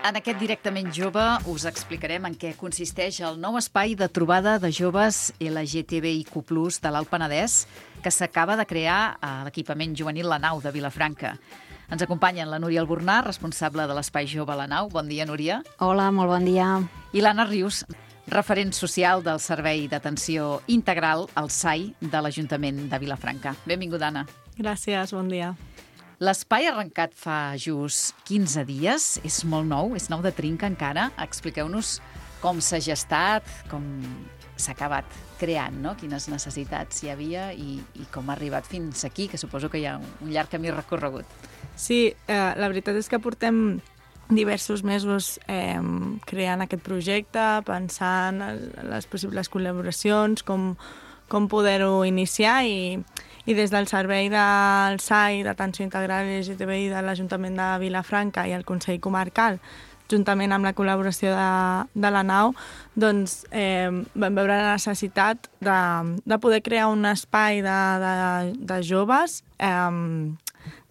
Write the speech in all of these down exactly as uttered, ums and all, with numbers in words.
En aquest Directament Jove us explicarem en què consisteix el nou espai de trobada de joves L G T B I Q plus, de l'Alt Penedès, que s'acaba de crear a l'equipament juvenil La Nau de Vilafranca. Ens acompanyen la Núria Albornà, responsable de l'Espai Jove La Nau. Bon dia, Núria. Hola, molt bon dia. I l'Anna Rius, referent social del Servei d'Atenció Integral, el S A I, de l'Ajuntament de Vilafranca. Benvinguda, Anna. Gràcies, bon dia. L'espai ha arrencat fa just quinze dies, és molt nou, és nou de trinca encara. Expliqueu-nos com s'ha gestat, com s'ha acabat creant, no? Quines necessitats hi havia i, i com ha arribat fins aquí, que suposo que hi ha un llarg camí recorregut. Sí, eh, la veritat és que portem diversos mesos eh, creant aquest projecte, pensant en les possibles col·laboracions, com, com poder-ho iniciar i, i des del servei del S A I d'Atenció Integral L G T B I de l'Ajuntament de Vilafranca i el Consell Comarcal, juntament amb la col·laboració de, de la Nau, doncs eh, vam veure la necessitat de, de poder crear un espai de, de, de joves eh,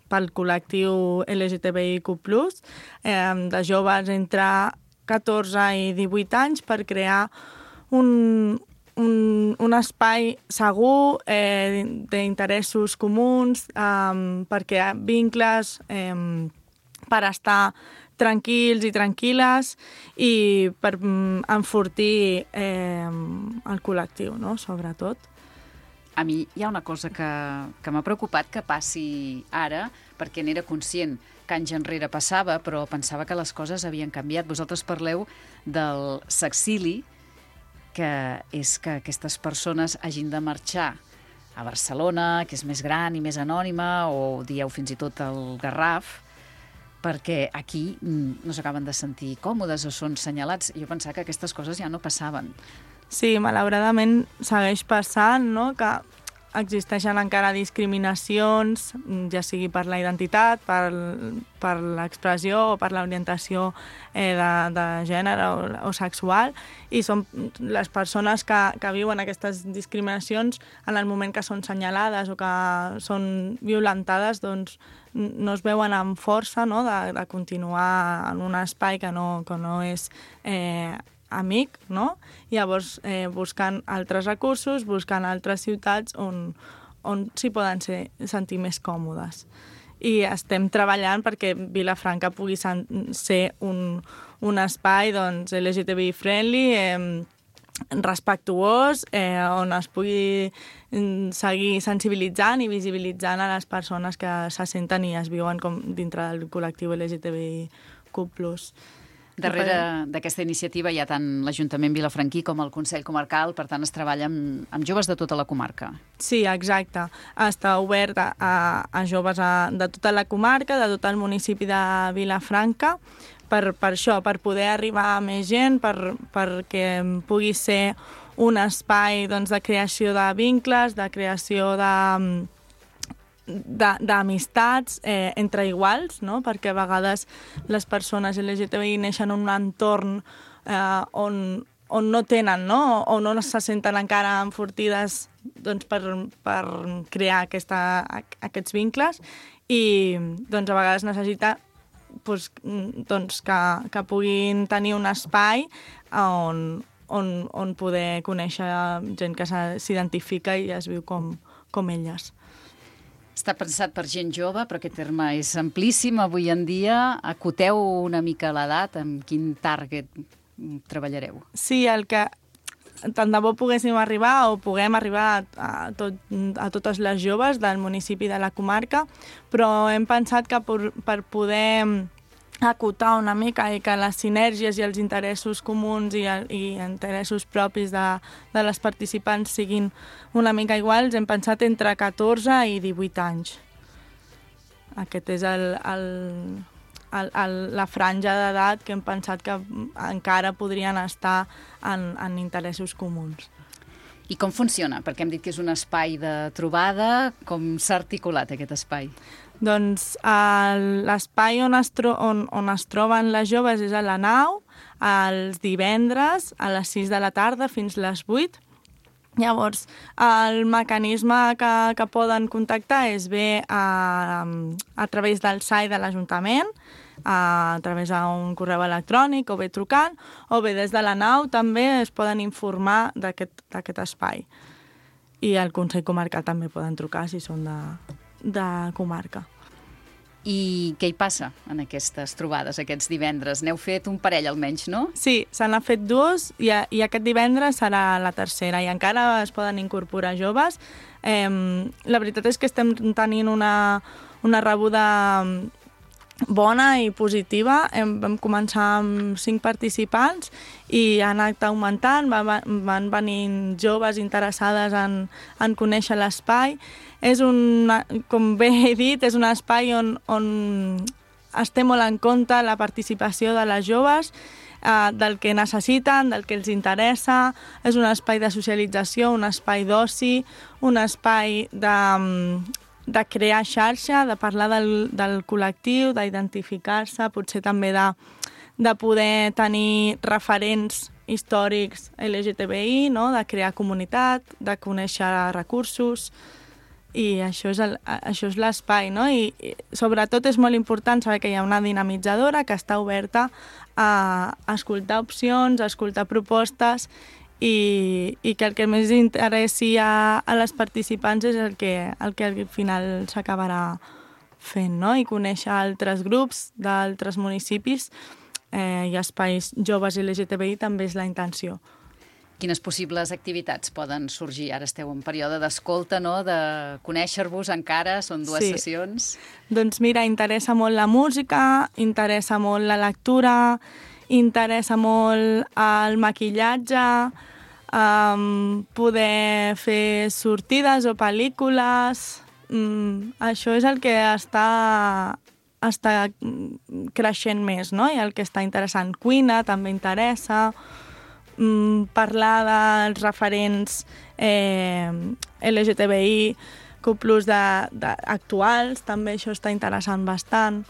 pel col·lectiu L G T B I Q plus, eh, de joves entre catorze i divuit anys, per crear un, un, un espai segur, eh, d'interessos comuns, eh, per crear vincles, eh, per estar tranquils i tranquil·les i per mm, enfortir eh, el col·lectiu, no?, sobretot. A mi hi ha una cosa que, que m'ha preocupat que passi ara, perquè n'era conscient que anys enrere passava, però pensava que les coses havien canviat. Vosaltres parleu del sexili, que és que aquestes persones hagin de marxar a Barcelona, que és més gran i més anònima, o dieu fins i tot el Garraf, perquè aquí no s'acaben de sentir còmodes o són senyalats. Jo pensava que aquestes coses ja no passaven. Sí, malauradament segueix passant, no?, que existeixen encara discriminacions, ja sigui per la identitat, per, per l'expressió o per l'orientació eh, de, de gènere o, o sexual, i són les persones que, que viuen aquestes discriminacions en el moment que són senyalades o que són violentades, doncs no es veuen amb força, no?, de, de continuar en un espai que no, que no és eh, amic, no? Llavors, eh, buscant altres recursos, buscant altres ciutats on, on s'hi poden ser, sentir més còmodes. I estem treballant perquè Vilafranca pugui ser un, un espai, doncs, L G T B I friendly, eh, respectuós, eh, on es pugui seguir sensibilitzant i visibilitzant a les persones que se senten i es viuen com dintre del col·lectiu L G T B I Q plus. Darrere d'aquesta iniciativa hi ha tant l'Ajuntament vilafranquí com el Consell Comarcal, per tant es treballa amb, amb joves de tota la comarca. Sí, exacte. Està obert a, a joves a, de tota la comarca, de tot el municipi de Vilafranca, per, per això, per poder arribar a més gent, per, perquè pugui ser un espai, doncs, de creació de vincles, de creació de... d'amistats eh, entre iguals, no?, perquè a vegades les persones L G T B I neixen en un entorn eh, on, on no tenen, no?, o no se senten encara enfortides, doncs, per, per crear aquesta, aquests vincles, i doncs, a vegades necessita doncs, doncs, que, que puguin tenir un espai on, on, on poder conèixer gent que s'identifica i es viu com, com elles. Està pensat per gent jove, però aquest terme és amplíssim avui en dia. Acoteu una mica l'edat, amb quin target treballareu? Sí, el que tant de bo poguéssim arribar o puguem arribar a, tot, a totes les joves del municipi de la comarca, però hem pensat que per, per poder acotar una mica i que les sinergies i els interessos comuns i, i interessos propis de, de les participants siguin una mica iguals, hem pensat entre catorze i divuit anys. Aquest és el, el, el, el, la franja d'edat que hem pensat que encara podrien estar en, en interessos comuns. I com funciona? Perquè hem dit que és un espai de trobada. Com s'ha articulat aquest espai? Doncs l'espai on, es tro on, on es troben les joves és a la Nau, els divendres a les sis de la tarda fins les vuit. Llavors, el mecanisme que, que poden contactar és bé a, a través del S A I de l'Ajuntament, a través d'un correu electrònic o bé trucant, o bé des de la nau també es poden informar d'aquest espai. I al Consell Comarcal també poden trucar si són de, de comarca. I què hi passa en aquestes trobades, aquests divendres? N'heu fet un parell almenys, no? Sí, se n'ha fet dues i, i aquest divendres serà la tercera i encara es poden incorporar joves. Eh, la veritat és que estem tenint una, una rebuda bona i positiva. Hem, vam començar amb cinc participants i han anat augmentant, van, van venir joves interessades en, en conèixer l'espai. És un, com bé he dit, és un espai on, on es té molt en compte la participació de les joves, eh, del que necessiten, del que els interessa. És un espai de socialització, un espai d'oci, un espai de, de crear xarxa, de parlar del, del col·lectiu, d'identificar-se, potser també de, de poder tenir referents històrics L G T B I, no? De crear comunitat, de conèixer recursos. I això és, el, això és l'espai, no? I, I sobretot és molt important saber que hi ha una dinamitzadora que està oberta a escoltar opcions, a escoltar propostes i, i que el que més interessi a, a les participants és el que, el que al final s'acabarà fent, no? I conèixer altres grups d'altres municipis eh, i espais joves L G T B I també és la intenció. Quines possibles activitats poden sorgir? Ara esteu en període d'escolta, no?, de conèixer-vos encara, són dues sí. sessions. Doncs mira, interessa molt la música, interessa molt la lectura, interessa molt el maquillatge, um, poder fer sortides o pel·lícules. Mm, això és el que està, està creixent més, no? I el que està interessant. Cuina també interessa. Parlar dels referents eh, L G T B I, Q plus de, de, actuals, també això està interessant bastant.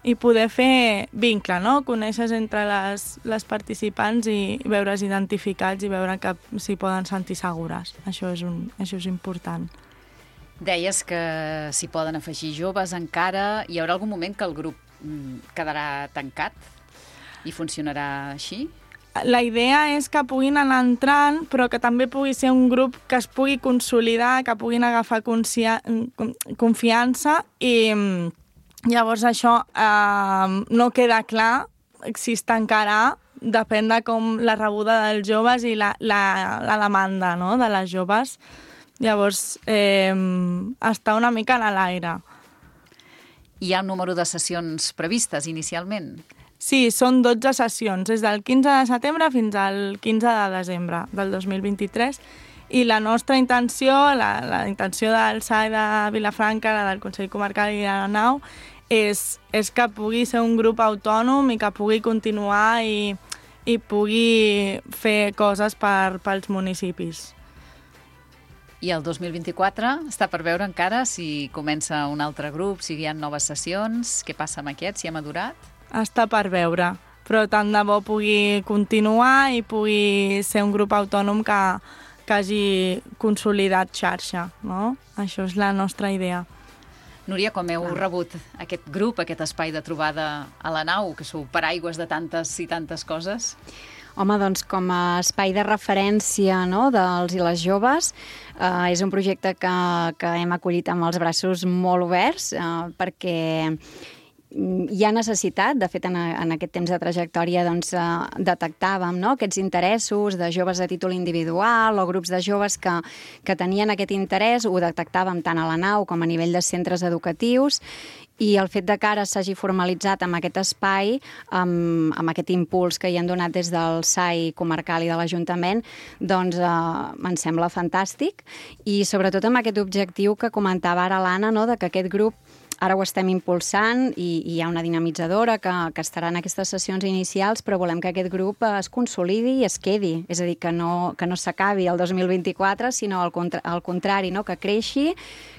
I poder fer vincle, no? Conèixer entre les, les participants i veure's identificats i veure que s'hi poden sentir segures. Això és, un, això és important. Deies que s'hi poden afegir joves encara. Hi haurà algun moment que el grup quedarà tancat i funcionarà així? La idea és que puguin anar entrant, però que també pugui ser un grup que es pugui consolidar, que puguin agafar confiança i llavors això eh, no queda clar si es tancarà, depèn de com la rebuda dels joves i la, la, la demanda, no?, de les joves. Llavors eh, està una mica a l'aire. Hi ha un número de sessions previstes inicialment? Sí, són dotze sessions, des del quinze de setembre fins al quinze de desembre del dos mil vint-i-tres, i la nostra intenció, la, la intenció del S A I de Vilafranca, la del Consell Comarcal i de la Nau, és, és que pugui ser un grup autònom i que pugui continuar i, i pugui fer coses per, pels municipis. I el dos mil vint-i-quatre està per veure encara si comença un altre grup, si hi ha noves sessions, què passa amb aquest, si ha madurat? Està per veure, però tant de bo pugui continuar i pugui ser un grup autònom que, que hagi consolidat xarxa, no? Això és la nostra idea. Núria, com heu rebut aquest grup, aquest espai de trobada a la Nau, que sou paraigües de tantes i tantes coses? Home, doncs com a espai de referència, no?, dels i les joves, eh, és un projecte que, que hem acollit amb els braços molt oberts, eh, perquè hi ha necessitat. De fet, en, en aquest temps de trajectòria doncs, eh, detectàvem, no?, aquests interessos de joves a títol individual o grups de joves que, que tenien aquest interès, ho detectàvem tant a la Nau com a nivell de centres educatius, i el fet de que ara s'hagi formalitzat amb aquest espai, amb, amb aquest impuls que hi han donat des del S A I comarcal i de l'Ajuntament, doncs eh, em sembla fantàstic, i sobretot amb aquest objectiu que comentava ara l'Anna, no?, de que aquest grup ara ho estem impulsant i, i hi ha una dinamitzadora que, que estarà en aquestes sessions inicials, però volem que aquest grup es consolidi i es quedi. És a dir, que no, que no s'acabi el dos mil vint-i-quatre, sinó al, contra, al contrari, no? Que creixi,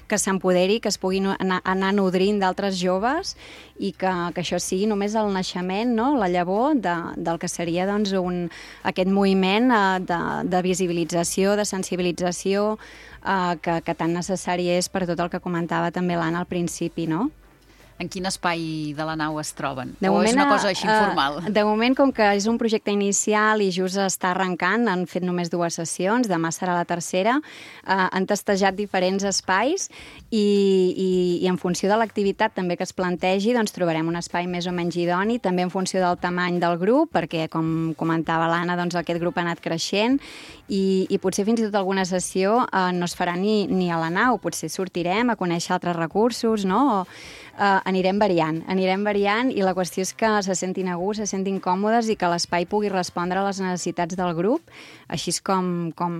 que s'empoderi, que es pugui anar, anar nodrint d'altres joves i que, que això sigui només el naixement, no? La llavor de, del que seria doncs, un, aquest moviment eh, de, de visibilització, de sensibilització, Uh, que, que tan necessari és per tot el que comentava també l'Anna al principi, no? En quin espai de la nau es troben? De o moment, és una cosa així eh, informal? De moment, com que és un projecte inicial i just està arrencant, han fet només dues sessions, demà serà la tercera, eh, han testejat diferents espais i, i, i en funció de l'activitat també que es plantegi, doncs trobarem un espai més o menys idoni, també en funció del tamany del grup, perquè, com comentava l'Anna, doncs aquest grup ha anat creixent i, i potser fins i tot alguna sessió eh, no es farà ni, ni a la nau, potser sortirem a conèixer altres recursos, no? O, Uh, anirem variant, anirem variant i la qüestió és que se sentin a gust, se sentin còmodes i que l'espai pugui respondre a les necessitats del grup. Així és com, com,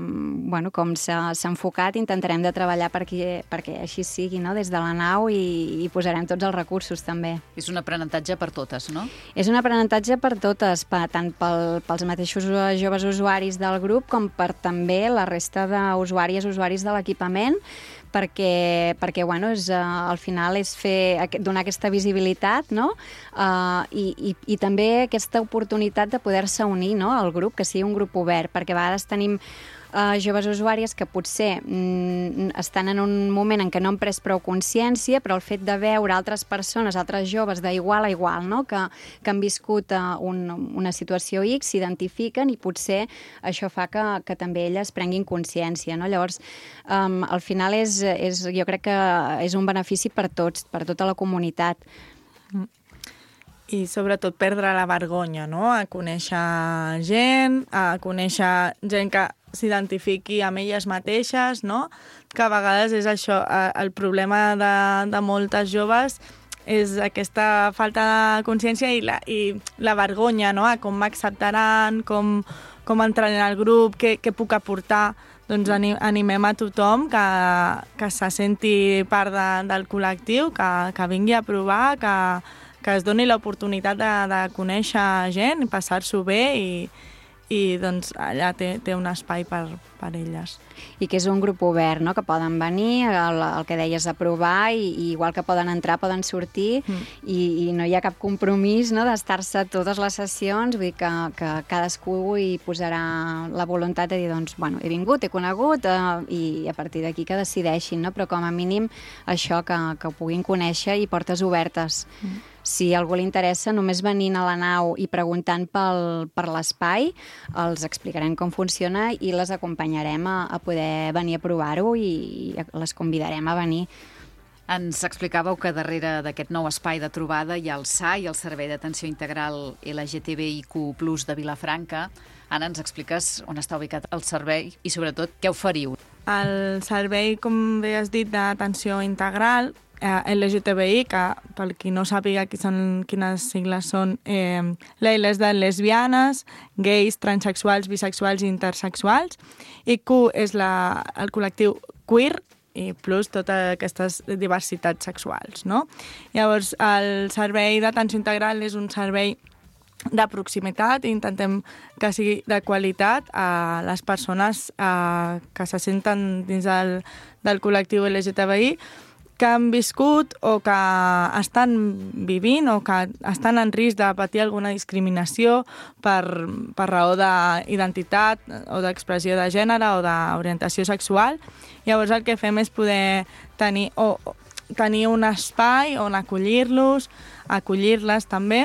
bueno, com s'ha enfocat, intentarem de treballar perquè, perquè així sigui, no? Des de la nau i, i posarem tots els recursos també. És un aprenentatge per totes, no? És un aprenentatge per totes, per, tant pel, pels mateixos joves usuaris del grup com per també la resta d'usuàries, usuaris de l'equipament, perquè, perquè bueno, és, uh, al final és fer, donar aquesta visibilitat, no? Uh, i, i, i també aquesta oportunitat de poder-se unir, no? Al grup, que sigui un grup obert, perquè a vegades tenim Uh, joves usuàries que potser mm, estan en un moment en què no han pres prou consciència, però el fet de veure altres persones, altres joves d'igual a igual, no? que, que han viscut uh, un, una situació X, s'identifiquen i potser això fa que, que també elles prenguin consciència. No? Llavors, um, al final és, és, jo crec que és un benefici per tots, per tota la comunitat. I sobretot perdre la vergonya, no? A conèixer gent, a conèixer gent que s'identifiqui amb elles mateixes, no? Que a vegades és això, el problema de, de moltes joves és aquesta falta de consciència i la, i la vergonya, no? A com m'acceptaran, com, com entraré en el grup, què, què puc aportar. Doncs animem a tothom que, que se senti part de, del col·lectiu, que, que vingui a provar, que, que es doni l'oportunitat de, de conèixer gent, passar-s'ho bé i, i doncs allà té, té un espai per, per elles. I que és un grup obert, no? Que poden venir, el, el que deies, a provar i, i igual que poden entrar, poden sortir mm. i, i no hi ha cap compromís, no? D'estar-se totes les sessions, vull dir que, que cadascú hi posarà la voluntat de dir, doncs, bueno, he vingut, he conegut eh, i a partir d'aquí que decideixin, no? Però com a mínim això, que, que ho puguin conèixer i portes obertes. Mm. Si a algú li interessa, només venint a la nau i preguntant pel, per l'espai, els explicarem com funciona i les acompanyarem a, a poder venir a provar-ho i, i les convidarem a venir. Ens explicàveu que darrere d'aquest nou espai de trobada hi ha el S A I, el Servei d'Atenció Integral L G T B I Q plus de Vilafranca. Ara ens expliques on està ubicat el servei i, sobretot, què oferiu. El servei, com bé has dit, d'atenció integral eh, L G T B I, que per qui no sàpiga qui són, quines sigles són, eh, la L és de lesbianes, gais, transexuals, bisexuals i intersexuals, i Q és la, el col·lectiu queer, i plus totes aquestes diversitats sexuals, no? Llavors, el servei d'atenció integral és un servei de proximitat i intentem que sigui de qualitat a les persones eh, que se senten dins del, del col·lectiu L G T B I, que han viscut o que estan vivint o que estan en risc de patir alguna discriminació per, per raó d'identitat o d'expressió de gènere o d'orientació sexual. Llavors el que fem és poder tenir, o, tenir un espai on acollir-los, acollir-les també,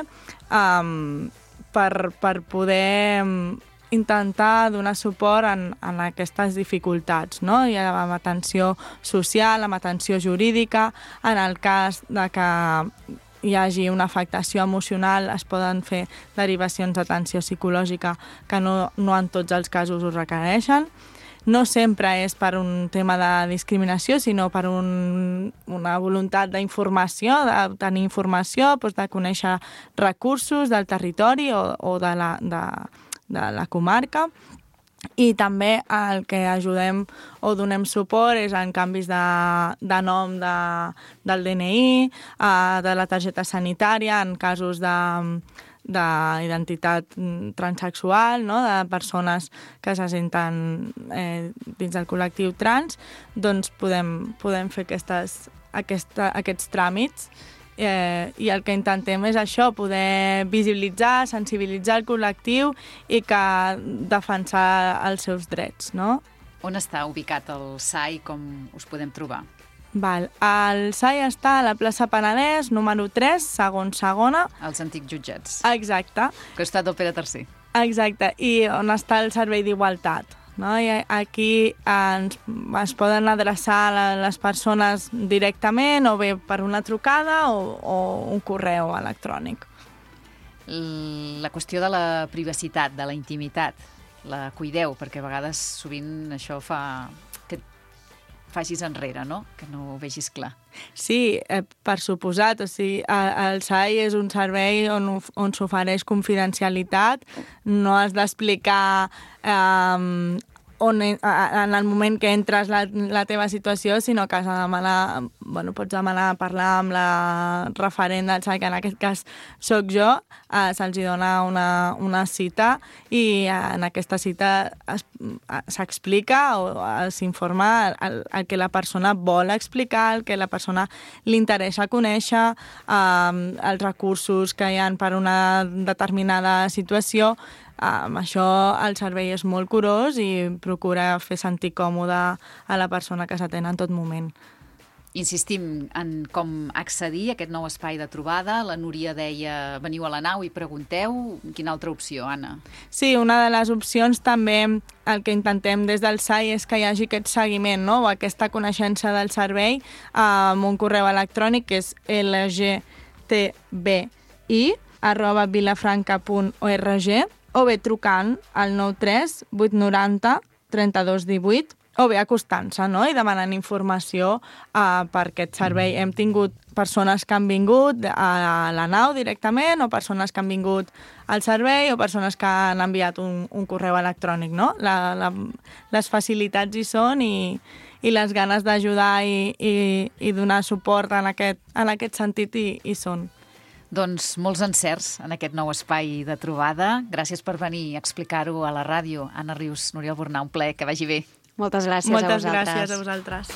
um, per, per poder intentar donar suport en, en aquestes dificultats, no? I amb atenció social, amb atenció jurídica, en el cas de que hi hagi una afectació emocional es poden fer derivacions d'atenció psicològica que no, no en tots els casos ho requereixen. No sempre és per un tema de discriminació, sinó per un, una voluntat d'informació, de tenir informació, doncs de conèixer recursos del territori o, o de la... De, de la comarca, i també el que ajudem o donem suport és en canvis de, de nom de, del D N I, eh, de la targeta sanitària, en casos de d'identitat transsexual, no? De persones que se senten eh, dins del col·lectiu trans, doncs podem, podem fer aquestes, aquesta, aquests tràmits. Eh, i el que intentem és això, poder visibilitzar, sensibilitzar el col·lectiu i que defensar els seus drets, no? On està ubicat el S A I, com us podem trobar? Val. El S A I està a la plaça Penedès, número tres, segon segona. Els antics jutjats. Exacte. Costat del Pere tercer. Exacte, i on està el servei d'igualtat. No? I aquí ens, es poden adreçar les persones directament o bé per una trucada o, o un correu electrònic. La qüestió de la privacitat, de la intimitat, la cuideu, perquè a vegades sovint això fa que et facis enrere, no? Que no ho vegis clar. Sí, eh, per suposat. O sigui, el S A I és un servei on, on s'ofereix confidencialitat, no has d'explicar eh, on, en el moment que entres la, la teva situació, sinó que has de demanar, bueno, pots demanar parlar amb la referent del S A I, que en aquest cas sóc jo, eh, se'ls dona una, una cita i en aquesta cita s'explica o s'informa el, el que la persona vol explicar, el que la persona li interessa conèixer, eh, els recursos que hi ha per una determinada situació. Amb això el servei és molt curós i procura fer sentir còmode a la persona que s'atén en tot moment. Insistim en com accedir a aquest nou espai de trobada. La Núria deia, veniu a la nau i pregunteu. Quina altra opció, Anna? Sí, una de les opcions també, el que intentem des del S A I és que hi hagi aquest seguiment, no? O aquesta coneixença del servei amb un correu electrònic que és l g t b i arroba vilafranca punt org o bé trucant al nou tres vuit nou zero trenta-dos divuit o bé acostant-se, no? I demanant informació uh, per aquest servei. Hem tingut persones que han vingut a la nau directament o persones que han vingut al servei o persones que han enviat un, un correu electrònic, no? La, la, les facilitats hi són i, i les ganes d'ajudar i, i, i donar suport en aquest, en aquest sentit hi, hi són. Doncs molts encerts en aquest nou espai de trobada. Gràcies per venir a explicar-ho a la ràdio. Anna Rius, Núria Albornà, un plaer, que vagi bé. Moltes gràcies Moltes a vosaltres. gràcies a vosaltres.